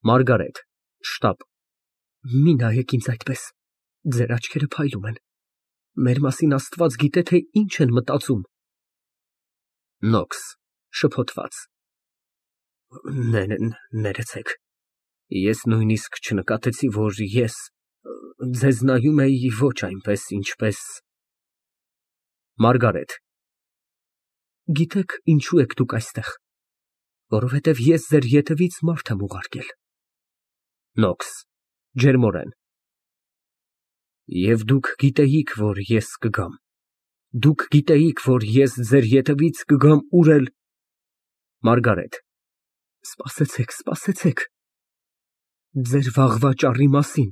ՄԱՐԳԱՐԵՏ ֊ (Շտապ) Մի նայեք ինձ այդպես, ձեր աչքերը փայլում են, մեր մասին Աստված գիտե, թե ինչ են մտածում։ ՆՈՔՍ ֊ (Շփոթված) Ներեցեք, ես նույնիսկ չնկատեցի, որ ես ձեզ նայում էի ոչ այնպես, ինչպես… ՄԱՐԳԱՐԵՏ ֊ Գիտեք ինչու եք դուք այստեղ, որովհետև ես ձեր ետևից մարդ եմ ուղարկել։ ՆՈՔՍ ֊ (Ջերմորեն) Եվ դուք գիտեիք, որ ես կգամ, դուք գիտեիք, որ ես ձեր ետևից կգամ ուր էլ… ՄԱՐԳԱՐԵՏ ֊ Սպասեցեք, ձեր վաղվա ճառի մասին,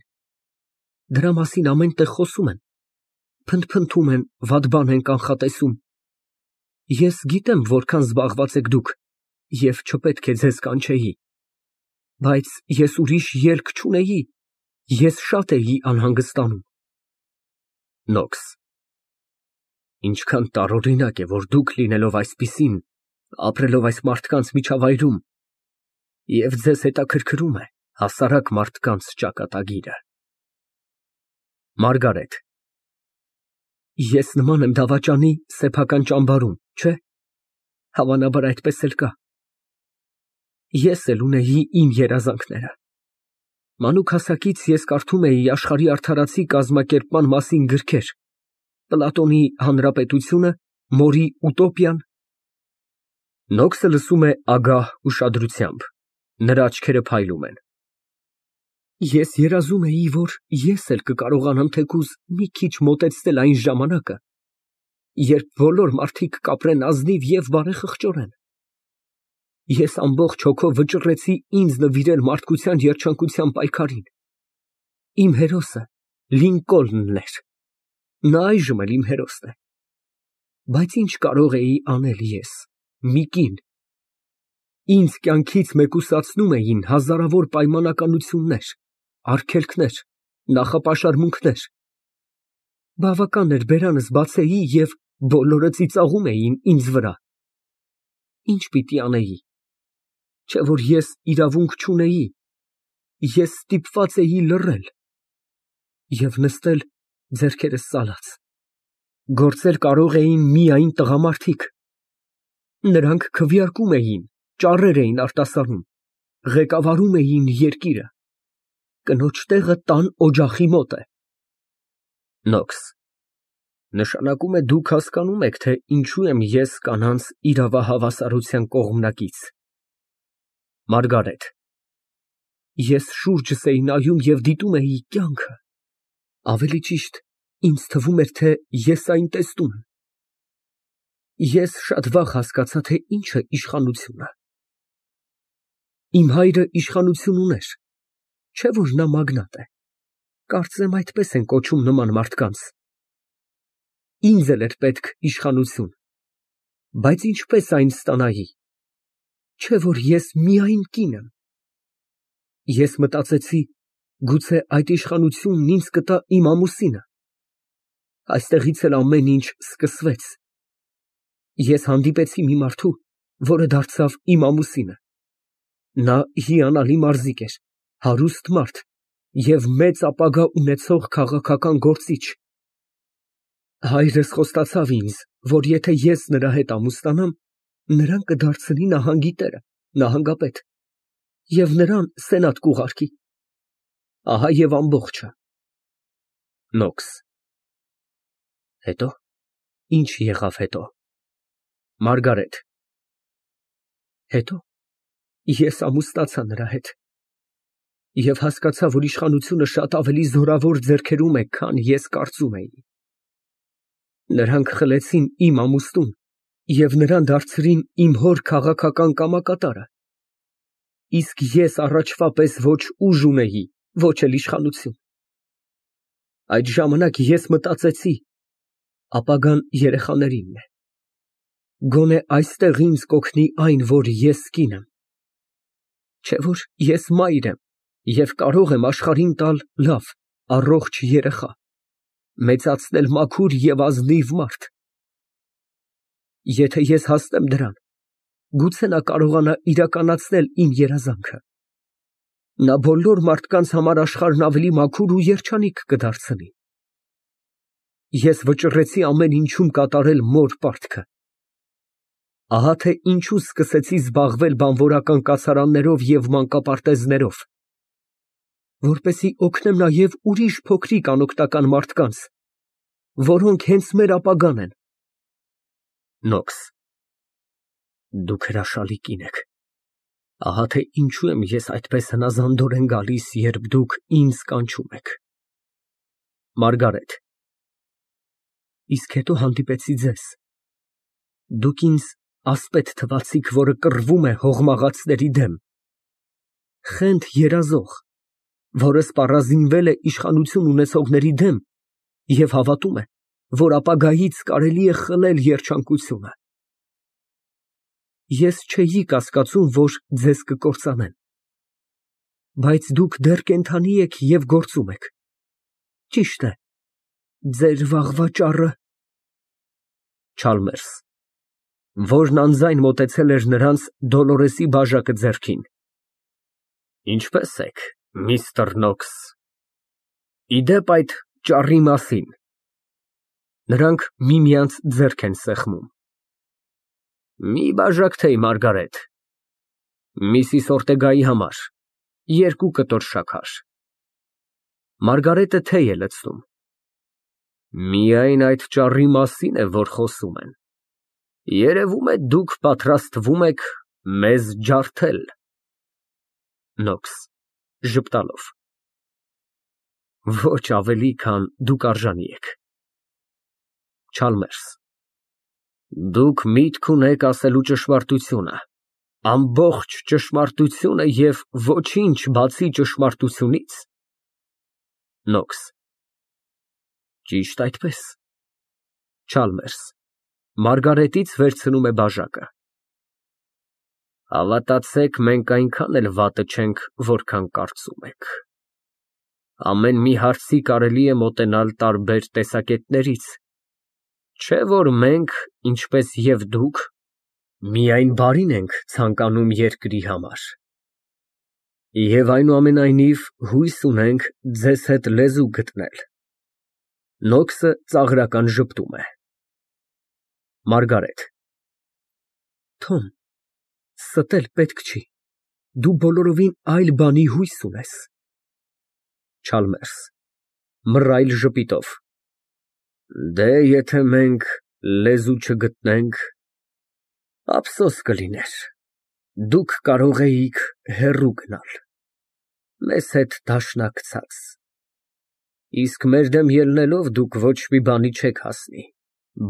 դրա մասին ամեն տեղ խոսում են, փնթփնթում են, վատ բան են կանխատեսում։ Ես գիտեմ որքան զբաղված եք դուք և չպետք է ձեզ կանչեի, բայց ես ուրիշ ելք չունեի, ես շատ էի անհանգստանում։ ՆՈՔՍ ֊ Ինչքան տարօրինակ է, որ դուք լինելով այսպիսին, ապրելով այս մարդկանց միջավայրում, և ձեզ հետաքրքրում է հասարակ մարդկանց ճակատագիրը։ ՄԱՐԳԱՐԵՏ ֊ Ես նման եմ դավաճանի սեփական ճամբարում, չէ՞, հավանաբար այդպես էլ կա։ Ես էլ ունեի իմ երազանքները։ Մանուկ հասակից ես կարդում էի աշխարհի արդարացի կազմակերպման մասին գրքեր, Պլատոնի «Հանրապետությունը», Մորի «Ուտոպիան»։ (Նոքսը լսում է ագահ ուշադրությամբ, նրա աչքերը փայլում են)։ Ես երազում էի, որ ես էլ կկարողանամ թեկուզ մի քիչ մոտեցնել այն ժամանակը, երբ բոլոր մարդիկ կապրեն ազնիվ և բարեխղճորեն։ Ես ամբողջ հոգով վճռեցի ինձ նվիրել մարդկության երջանկության պայքարին։ Իմ հերոսը Լինկոլնն էր, նա այժմ էլ իմ հերոսն է։ Բայց ինչ կարող էի անել ես, մի կին։ Ինձ կյանքից մեկուսացնում էին հազարավոր պայմանականություններ, արգելքներ, նախապաշարմունքներ։ Բավական էր բերանս բացեի, և բոլորը ծիծաղում էին ինձ վրա։ Ինչ պիտի անեի, չէ՞ որ ես իրավունք չունեի, ես ստիպված էի լռել և նստել ձեռքերս ծալած։ Գործել կարող էին միայն տղամարդիկ։ Նրանք քվեարկում էին, ճառեր էին արտասանում, ղեկավարում էին երկիրը։ Կնոջ տեղը տան օջախի մոտ է։ ՆՈՔՍ ֊ Նշանակում է դուք հասկանում եք, թե ինչու եմ ես կանանց իրավահավասարության կողմնակից։ ՄԱՐԳԱՐԵՏ ֊ Ես շուրջս էի նայում և դիտում էի կյանքը, ավելի ճիշտ, ինձ թվում էր, թե ես այն տեսնում եմ։ Ես շատ վաղ հասկացա, թե ինչ է իշխանությունը։ Իմ հայրը իշխանություն ուներ, չէ՞ որ նա մագնատ է, կարծեմ այդպես են կոչում նման մարդկանց։ Ինձ էլ էր պետք իշխանություն, բայց ինչպես այն ստանայի, չէ՞ որ ես միայն կին եմ։ Ես մտածեցի, գուցե այդ իշխանությունն ինձ կտա իմ ամուսինը։ Այստեղից էլ ամեն ինչ սկսվեց։ Ես հանդիպեցի մի մարդու, որը դարձավ իմ ամուսինը։ Նա հիանալի մարզիկ էր, հարուստ մարդ և մեծ ապագա ունեցող քաղաքական գործիչ։ Հայրս խոստացավ ինձ, որ եթե ես նրա հետ ամուսնանամ, նրան կդարձնի նահանգի տերը, նահանգապետ, և նրան սենատ կուղարկի։ Ահա և ամբողջը։ ՆՈՔՍ ֊ Հետո, ի՞նչ եղավ հետո։ ՄԱՐԳԱՐԵՏ ֊ Հետո ես ամուսնացա նրա հետ և հասկացա, որ իշխանությունը շատ ավելի զորավոր ձեռքերում է, քան ես կարծում էի։ Նրանք խլեցին իմ ամուսնուն և նրան դարձրին իմ հոր քաղաքական կամակատարը, իսկ ես առաջվա պես ոչ ուժ ունեի, ոչ էլ իշխանություն։ Այդ ժամանակ ես մտածեցի. ապագան երեխաներինն է։ Գոնե այստեղ ինձ կօգնի այն, որ ես կին եմ։ Չէ՞ որ ես մայր եմ և կարող եմ աշխարհին տալ լավ, առողջ երեխա, մեծացնել մաքուր և ազնիվ մարդ։ Եթե ես հասնեմ դրան, գուցե նա կարողանա իրականացնել իմ երազանքը։ Նա բոլոր մարդկանց համար աշխարհն ավելի մաքուր ու երջանիկ կդարձնի։ Ես վճռեցի ամեն ինչում կատարել մոր պարտքը։ Ահա թե ինչու սկսեցի զբաղվել բանվորական կացարաններով և մանկապարտեզներով, որպեսզի օգնեմ նաև ուրիշ փոքրիկ անօգնական մարդկանց, որոնք հենց մեր ապագան են։ Դուք հրաշալի կին եք։ Ահա թե ինչու եմ ես այդպես հնազանդորեն գալիս, երբ դուք ինձ կանչում եք։ ՄԱՐԳԱՐԵՏ ֊ Իսկ հետո հանդիպեցի ձեզ։ Դուք ինձ ասպետ թվացիք, որը կռվում է հողմաղացների դեմ, խենթ երազող, որը սպառազինվել է իշխանություն ունեցողների դեմ և հավատում է, որ ապագայից կարելի է խլել երջանկությունը։ Ես չէի կասկածում, որ ձեզ կկործանեն, բայց դուք դեռ կենդանի եք և գործում եք։ Ճիշտ է, ձեր վաղվա ճառը… ՉԱԼՄԵՐՍ ֊ (Որն անձայն մոտեցել էր նրանց, Դոլորեսի բաժակը ձեռքին) Ինչպե՞ս եք, միստր Նոքս։ Ի դեպ, այդ ճառի մասին… (Նրանք միմյանց ձեռք են սեղմում) Մի բաժակ թեյ, Մարգարետ, Միսիս Օրտեգայի համար, 2 կտոր շաքար։ (Մարգարետը թեյ է լցնում) Միայն այդ ճառի մասին է, որ խոսում են։ Երևում է, դուք պատրաստվում եք մեզ ջարդել։ ՆՈՔՍ ֊ (Ժպտալով) Ոչ ավելի, քան դուք արժանի եք։ ՉԱԼՄԵՐՍ ֊ Դուք միտք ունեք ասելու ճշմարտությունը, ամբողջ ճշմարտությունը և ոչինչ բացի ճշմարտությունից։ ՆՈՔՍ ֊ Ճիշտ այդպես։ ՉԱԼՄԵՐՍ ֊ (Մարգարետից վերցնում է բաժակը) Հավատացեք, մենք այնքան էլ վատը չենք, որքան կարծում եք։ Ամեն մի հարցի կարելի է մոտենալ տարբեր տեսակետներից, չէ՞ որ մենք, ինչպես և դուք, միայն բարին ենք ցանկանում երկրի համար։ Եվ այնուամենայնիվ հույս ունենք ձեզ հետ լեզու գտնել։ (Նոքսը ծաղրական ժպտում է)։ ՄԱՐԳԱՐԵՏ ֊ Թոմ, ստել պետք չի, դու բոլորովին այլ բանի հույս ունես։ ՉԱԼՄԵՐՍ ֊ (Մռայլ ժպիտով) Դե, եթե մենք լեզու չգտնենք, ափսոս կլիներ, դուք կարող էիք հեռու գնալ, մեզ հետ դաշնակցած, իսկ մեր դեմ ելնելով, դուք ոչ մի բանի չեք հասնի,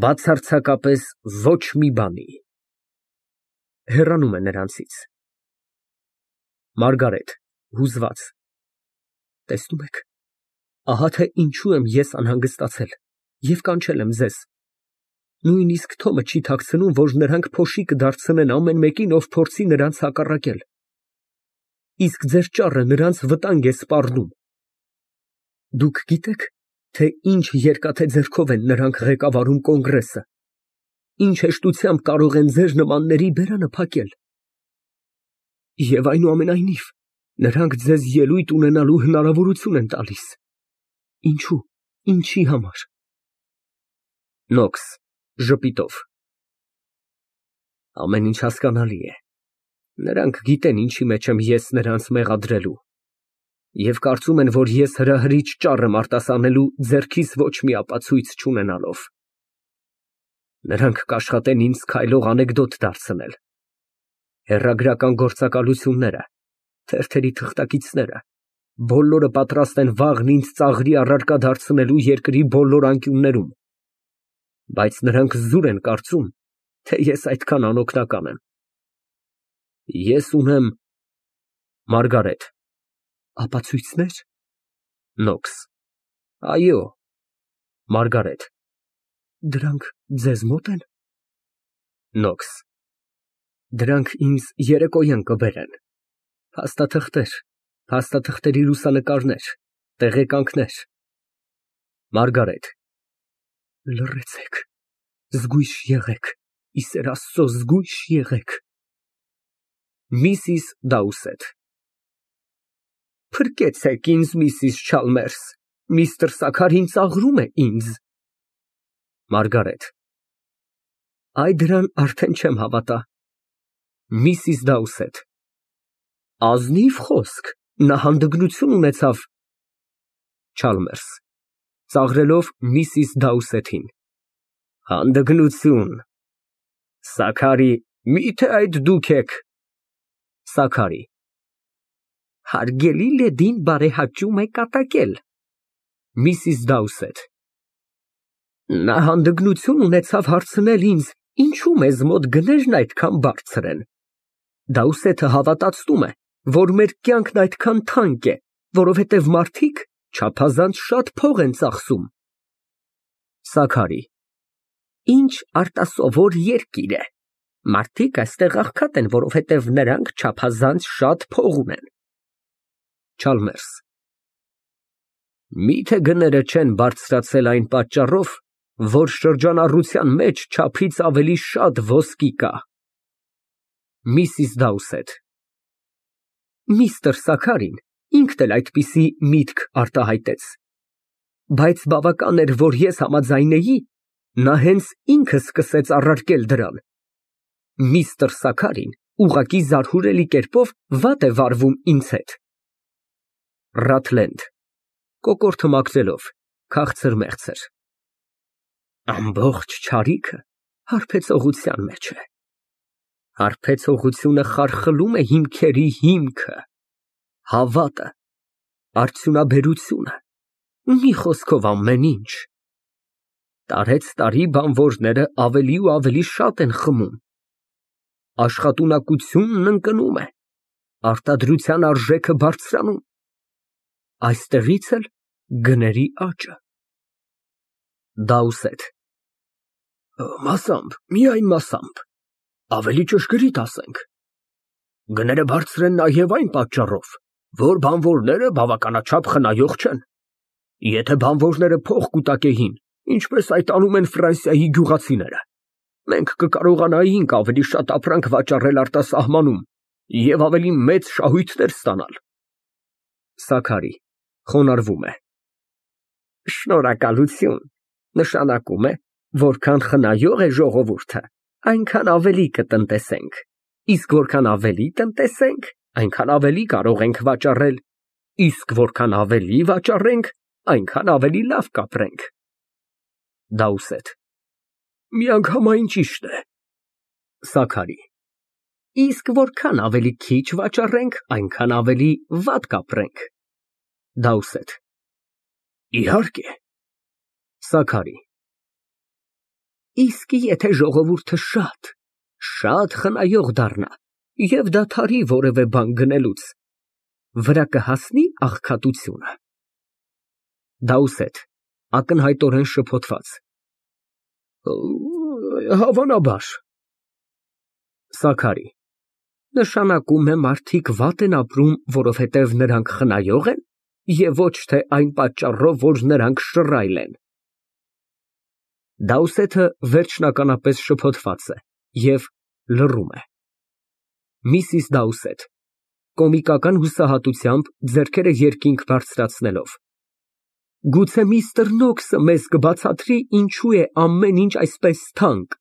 բացարձակապես ոչ մի բանի։ (Հեռանում է նրանցից)։ ՄԱՐԳԱՐԵՏ ֊ (Հուզված) Տեսնում եք, ահա թե ինչու եմ ես անհանգստացել և կանչել եմ ձեզ։ Նույնիսկ Թոմը չի թաքցնում, որ նրանք փոշի կդարձնեն ամեն մեկին, ով փորձի նրանց հակառակել։ Իսկ ձեր ճառը նրանց վտանգ է սպառնում։ Դուք գիտե՞ք, թե ինչ երկաթե ձեռքով են նրանք ղեկավարում կոնգրեսը, ինչ հեշտությամբ կարող են ձեր նմանների բերանը փակել։ Եվ այնուամենայնիվ, նրանք ձեզ ելույթ ունենալու հնարավորություն են տալիս։ Ինչո՞ւ, ինչի համար։ ՆՈՔՍ ֊ (Ժպիտով) Ամեն ինչ հասկանալի է։ Նրանք գիտեն, ինչի մեջ եմ ես նրանց մեղադրելու, և կարծում են, որ ես հրահրիչ ճառ եմ արտասանելու ձեռքիս ոչ մի ապացույց չունենալով։ Նրանք կաշխատեն ինձ քայլող անեկդոտ դարձնել։ Հեռագրական գործակալությունները, թերթերի թղթակիցները, բոլորը պատրաստ են վաղն ինձ ծաղրի առարկա դարձնելու երկրի բոլոր անկյուններում, բայց նրանք զուր են կարծում, թե ես այդքան անօգնական եմ։ Ես ունեմ… ՄԱՐԳԱՐԵՏ ֊ Ապացույցնե՞ր։ ՆՈՔՍ ֊ Այո։ ՄԱՐԳԱՐԵՏ ֊ Դրանք ձեզ մոտ են։ ՆՈՔՍ ֊ Դրանք ինձ երեկոյան կբերեն։ Փաստաթղթեր, փաստաթղթերի լուսանկարներ, տեղեկանքներ։ ՄԱՐԳԱՐԵՏ ֊ Լռեցեք, զգույշ եղեք, ի սեր Աստծո, զգույշ եղեք։ (Միսիս Դաուսեթ) Փրկեցեք ինձ, Միսիս Չալմերս, միստր Սաքարին ծաղրում է ինձ։ ՄԱՐԳԱՐԵՏ ֊ Այ դրան արդեն չեմ հավատա։ Միսիս Դաուսեթ ֊ Ազնիվ խոսք, նա հանդգնություն ունեցավ։ ՉԱԼՄԵՐՍ ֊ (Ծաղրելով Միսիս Դաուսեթին) Հանդգնություն… Սաքարի, մի՞թե այդ դուք եք։ ՍԱՔԱՐԻ ֊ Հարգելի լեդին բարեհաճում է կատակել։ Միսիս Դաուսեթ ֊ Նա հանդգնություն ունեցավ հարցնել ինձ, ինչու մեզ մոտ գներն այդքան բարձր են։ Դաուսեթը հավատացնում է, որ մեր կյանքն այդքան թանկ է, որովհետև մարդիկ չափազանց շատ փող են ծախսում։ ՍԱՔԱՐԻ ֊ Ինչ արտասովոր երկիր է։ Մարդիկ այստեղ աղքատ են, որովհետև նրանք չափազանց շատ փող ունեն։ ՉԱԼՄԵՐՍ ֊ Միթե գները չեն բարձրացել այն պատճառով, որ շրջանառության մեջ չափից ավելի շատ ոսկի կա։ Միսիս Դաուսեթ ֊ Միստր Սաքարին ինքն էլ այդպիսի միտք արտահայտեց, բայց բավական էր, որ ես համաձայնեի, նա հենց ինքը սկսեց առարկել դրան։ Միստր Սաքարին ուղղակի զարհուրելի կերպով վատ է վարվում ինձ հետ։ Ռաթլենդ ֊ (Կոկորդը մաքրելով, քաղցր մեղցր) Ամբողջ չարիքը հարբեցողության մեջ է։ Հարբեցողությունը խարխլում է հիմքերի հիմքը, հավատը, արդյունաբերությունը, մի խոսքով ամեն ինչ։ Տարեցտարի բանվորները ավելի ու ավելի շատ են խմում։ Աշխատունակությունն ընկնում է, արտադրության արժեքը բարձրանում, այստեղից էլ գների աճը։ Դաուսեթ ֊ Մասամբ, միայն մասամբ, ավելի ճշգրիտ ասենք, գները բարձր են նաև այն պատճառով, որ բանվորները բավականաչափ խնայող չեն։ Եթե բանվորները փող կուտակեին, ինչպես այդ անում են Ֆրանսիայի գյուղացիները, մենք կկարողանայինք ավելի շատ ապրանք վաճառել արտասահմանում և ավելի մեծ շահույթներ ստանալ։ ՍԱՔԱՐԻ ֊ (Խոնարհվում է) Շնորհակալություն, նշանակում է, որքան խնայող է ժողովուրդը, այնքան ավելի կտնտեսենք, իսկ որքան ավելի տնտեսենք, այնքան ավելի կարող ենք վաճառել, իսկ որքան ավելի վաճառենք, այնքան ավելի լավ կապրենք։ Դաուսեթ ֊ Միանգամայն ճիշտ է։ ՍԱՔԱՐԻ ֊ Իսկ որքան ավելի քիչ վաճառենք, այնքան ավելի վատ կապրենք։ Դաուսեթ ֊ Իհարկե։ ՍԱՔԱՐԻ ֊ Իսկ եթե ժողովուրդը շատ խնայող դառնա և դադարի որևէ բան գնելուց, վրա կհասնի աղքատությունը։ Դաուսեթ ֊ (Ակնհայտորեն շփոթված) Հավանաբար։ ՍԱՔԱՐԻ ֊ Նշանակում է մարդիկ վատ են ապրում, որովհետև նրանք խնայող են և ոչ թե այն պատճառով, որ նրանք շռայլ են։ Դաուսեթը վերջնականապես շփոթված է և լռում է։ Միսիս Դաուսեթ ֊ (Կոմիկական հուսահատությամբ, ձեռքերը երկինք բարձրացնելով) Գուցե միստր Նոքսը մեզ կբացատրի, ինչու է ամեն ինչ այսպես թանկ։